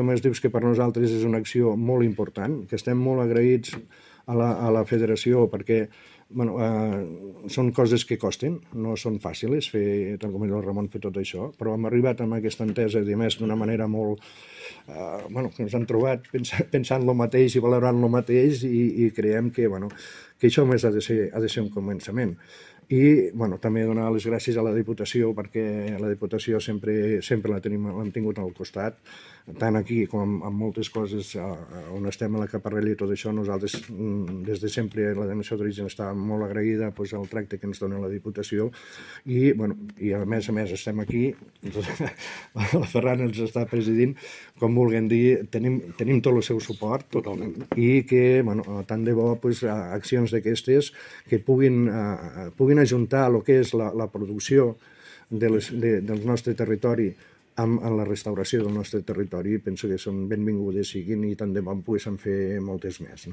Només dius que per nosaltres és una acció molt important, que estem molt agraïts a la federació perquè són coses que costen, no són fàcils fer, tant com el Ramon, fer tot això, però hem arribat amb aquesta entesa i a més d'una manera molt que ens han trobat pensant el mateix i valorant el mateix i creiem que això més ha de ser un començament. I també donar les gràcies a la Diputació perquè la Diputació sempre l'hem tingut al costat, tant aquí com en moltes coses on estem a la Caparrella i tot això. Nosaltres des de sempre la Denominació d'Origen està molt agraïda al tracte que ens dona la Diputació i a més estem aquí, la Ferran ens està presidint, com vulguem dir, tenim tot el seu suport totalment i que tant de bo accions d'aquestes que puguin ajuntar el que és la producció del nostre territori amb la restauració del nostre territori, penso que són benvingudes siguin i tant de bo en poguéssim fer moltes més.